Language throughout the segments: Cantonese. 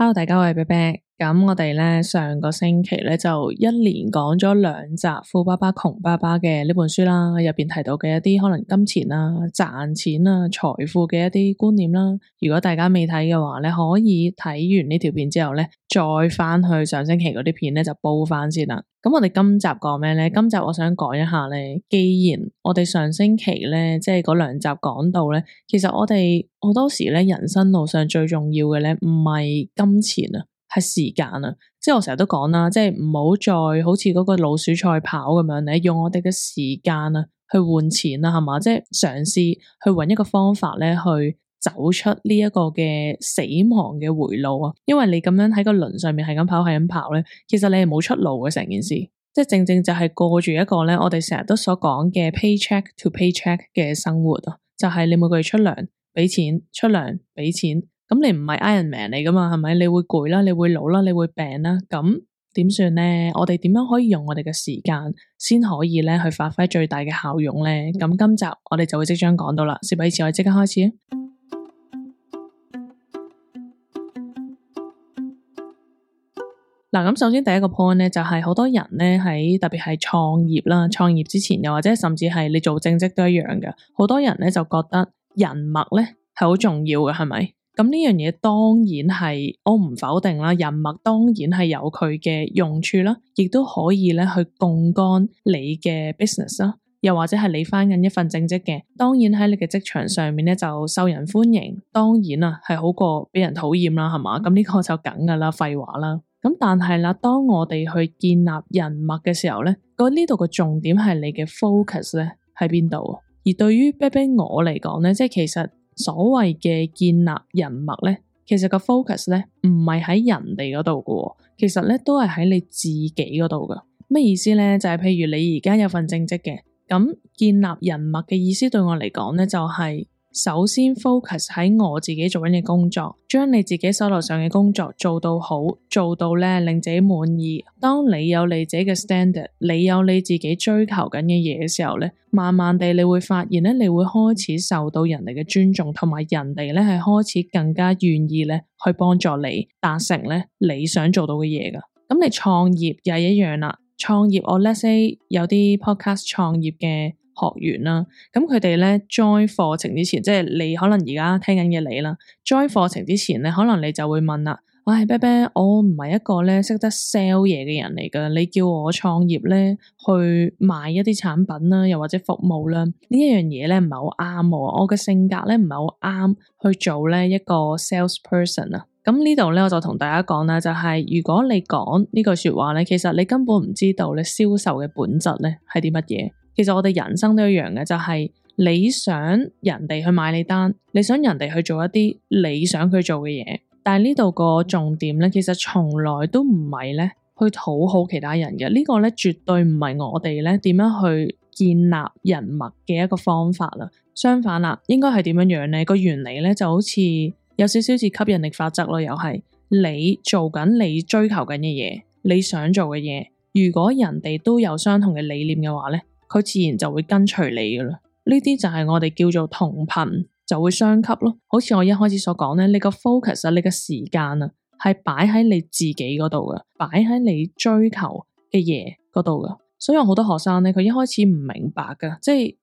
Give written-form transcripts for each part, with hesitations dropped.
Hello，大家，我係 Bebe。咁我哋咧上個星期咧就一連講咗2集《富爸爸窮爸爸》嘅呢本書啦，入邊提到嘅一啲可能金錢啊、賺錢啊、財富嘅一啲觀念啦。如果大家未睇嘅話咧，可以睇完呢條片之後咧，再翻去上星期嗰啲片咧就煲翻先啦。咁我哋今集講咩咧？今集我想講一下咧，既然我哋上星期咧即係嗰2集講到咧，其實我哋好多時咧人生路上最重要嘅咧唔係金錢啊，係時間啊。即係我成日都講啦，即係唔好再好似嗰個老鼠賽跑咁樣咧，用我哋嘅時間啊去換錢啦，係嘛？即係嘗試去揾一個方法咧去走出呢一個嘅死亡嘅回路啊。因為你咁樣喺個輪上面係咁跑係咁跑咧，其實你係冇出路嘅成件事。即係正正就係過住一個咧我哋成日都所講嘅 paycheck to paycheck 嘅生活啊，就係你每個月出糧俾錢，出糧俾錢。咁你唔係 Iron Man 嚟噶嘛，係咪？你會攰啦，你會老啦，你會病啦，咁點算呢？我哋點樣可以用我哋嘅時間先可以咧去發揮最大嘅效用呢？咁今集我哋就會即將講到啦。事不宜遲，我哋即刻開始啊！嗱，咁首先第一個 point 咧就係好多人咧喺特別係創業啦，創業之前又或者甚至係你做正職都一樣嘅，好多人咧就覺得人脈咧係好重要嘅，係咪？咁呢樣嘢當然係我唔否定啦，人脈當然係有佢嘅用處啦，亦都可以咧去槓桿你嘅 business 啦，又或者係你返緊一份正職嘅，當然喺你嘅職場上面咧就受人歡迎，當然啊係好過俾人討厭啦，係嘛？咁呢個就梗噶啦，廢話啦。咁但係啦，當我哋去建立人脈嘅時候咧，呢度個重點係你嘅 focus 咧喺邊度？而對於 Bebe 我嚟講咧，即係其實所謂嘅建立人脈咧，其實個 focus 咧唔係喺人哋嗰度嘅，其實咧都係喺你自己嗰度嘅。咩意思咧？就係譬如你而家有份正職嘅，咁建立人脈嘅意思對我嚟講咧，就係首先 focus 喺我自己做緊嘅工作，將你自己手頭上嘅工作做到好，做到咧令自己滿意。當你有你自己嘅 standard， 你有你自己追求緊嘅嘢嘅時候咧，慢慢地你會發現咧，你會開始受到人哋嘅尊重，同埋人哋咧係開始更加願意咧去幫助你達成咧你想做到嘅嘢噶。咁你創業又係一樣啦，創業我 let's say 有啲 podcast 創業嘅學員啦，咁佢哋咧 join 課程之前，即係你可能而家聽緊嘅你啦 ，join 課程之前咧，可能你就會問啦，喂，Bebe，我唔係一個咧識得 sell 嘢嘅人嚟噶，你叫我創業咧去賣一啲產品啦，又或者服務啦，呢一樣嘢咧唔係好啱我嘅性格咧唔係好啱去做咧一個 sales person 啊。咁呢度咧我就同大家講啦，就係如果你講呢句說話咧，其實你根本唔知道咧銷售嘅本質咧係啲乜嘢。其實我哋人生都一樣嘅，就係你想人哋去買你單，你想人哋去做一啲你想佢做嘅嘢，但係呢度個重點咧，其實從來都唔係咧去討好其他人嘅，呢個咧絕對唔係我哋咧點樣去建立人脈嘅一個方法啦。相反啦，應該係點樣樣咧？個原理咧就好似有少少似吸引力法則咯，又係你做緊你追求緊嘅嘢，你想做嘅嘢，如果人哋都有相同嘅理念嘅話咧，佢自然就會跟隨你噶啦，呢啲就係我哋叫做同頻就會相吸咯。好似我一開始所講咧，你個 focus 啊，你個時間啊，係擺喺你自己嗰度噶，擺喺你追求嘅嘢嗰度噶。所以有好多學生咧，佢一開始唔明白噶，即係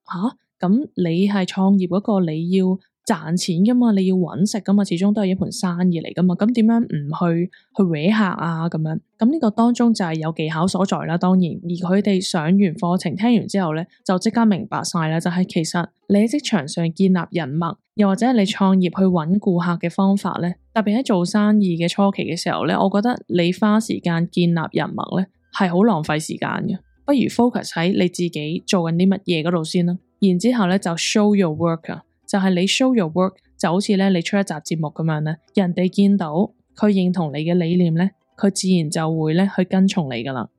咁你係創業嗰個，你要賺錢噶嘛，你要搵食噶嘛，始終都係一盤生意嚟噶嘛，咁點樣唔去搲客啊咁樣？咁呢個當中就係有技巧所在啦，當然，而佢哋上完課程聽完之後咧，就即刻明白晒啦，就係其實你喺職場上建立人脈，又或者你創業去搵顧客嘅方法咧，特別喺做生意嘅初期嘅時候咧，我覺得你花時間建立人脈咧係好浪費時間嘅，不如 focus 喺你自己做緊啲乜嘢嗰度先啦，然之後咧就 show your work 啊。就係你 show your work， 就好似咧你出一集節目咁樣咧，人哋見到佢認同你嘅理念咧，佢自然就會咧去跟從你噶啦。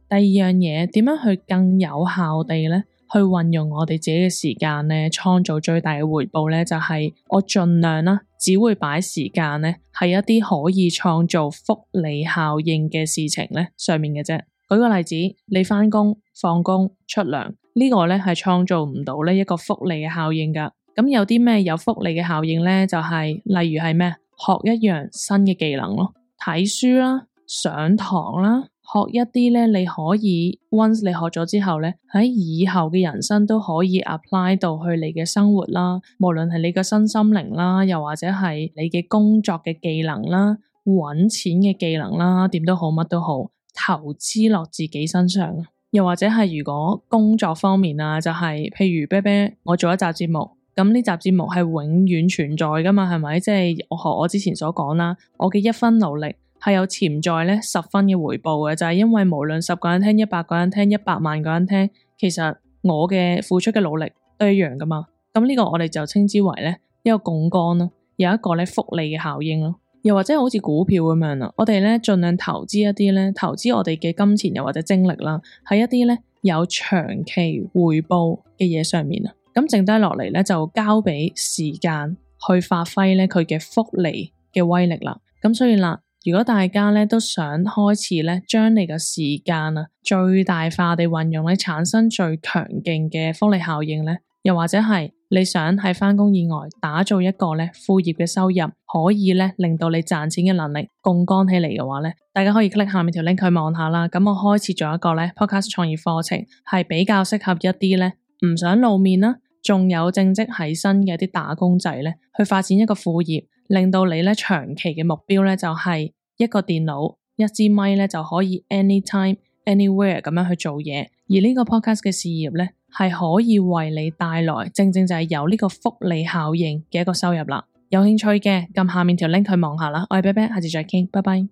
第二樣嘢，點樣去更有效地咧去運用我哋自己嘅時間咧，創造最大嘅回報咧，就係我盡量啦，只會擺時間咧係一啲可以創造複利效應嘅事情咧上面嘅啫。舉個例子，你返工放工出糧呢呢個咧係創造唔到呢一個複利嘅效應噶。咁有啲咩有複利嘅效應咧？就係例如係咩？學一樣新嘅技能咯，睇書啦，上堂啦，學一啲咧你可以 once 你學咗之後咧，喺以後嘅人生都可以 apply 到去你嘅生活啦，無論係你嘅身心靈啦，又或者係你嘅工作嘅技能啦，搵錢嘅技能啦，點都好，乜都好，投資落自己身上。又或者係如果工作方面啊，就係譬如啤啤，我做一集節目，咁呢集節目係永遠存在噶嘛，係咪？即係我學我之前所講啦，我嘅一分努力係有潛在咧10分嘅回報嘅，就係因為無論10個人聽、100個人聽、100萬個人聽，其實我嘅付出嘅努力都一樣噶嘛。咁呢個我哋就稱之為咧一個槓桿咯，有一個咧複利嘅效應咯。又或者好似股票咁樣啦，我哋咧盡量投資一啲咧，投資我哋嘅金錢又或者精力啦，喺一啲咧有長期回報嘅嘢上面啊。咁剩低落嚟咧就交俾時間去發揮咧佢嘅複利嘅威力啦。咁所以啦，如果大家咧都想開始咧將你嘅時間啊最大化地運用咧，產生最強勁嘅複利效應咧，又或者係你想喺返工以外打造一個咧副業嘅收入，可以咧令到你賺錢嘅能力槓桿起嚟嘅話咧，大家可以 click 下面條 link 去望下啦。咁我開設咗一個咧 podcast 創業課程，係比較適合一啲咧唔想露面啦，仲有正職喺身嘅一啲打工仔咧，去發展一個副業，令到你咧長期嘅目標咧就係一個電腦、一支咪咧就可以 anytime、anywhere 咁樣去做嘢。而呢個 podcast 嘅事業咧，係可以為你帶來正正就係有呢個複利效應嘅一個收入啦。有興趣嘅撳下面條 link 去望下啦。我係啤啤，下次再傾，拜拜。